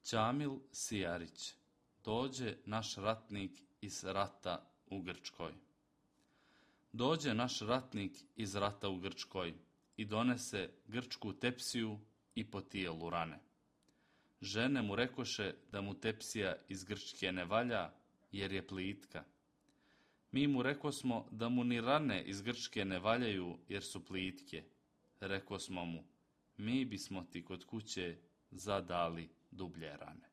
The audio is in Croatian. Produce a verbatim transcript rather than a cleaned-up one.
Ćamil Sijarić, dođe naš ratnik iz rata u Grčkoj. Dođe naš ratnik iz rata u Grčkoj i donese grčku tepsiju i po tijelu rane. Žene mu rekoše da mu tepsija iz Grčke ne valja, jer je plitka. Mi mu rekosmo da mu ni rane iz Grčke ne valjaju, jer su plitke. Rekosmo mu, mi bismo ti kod kuće zadali dublje rane.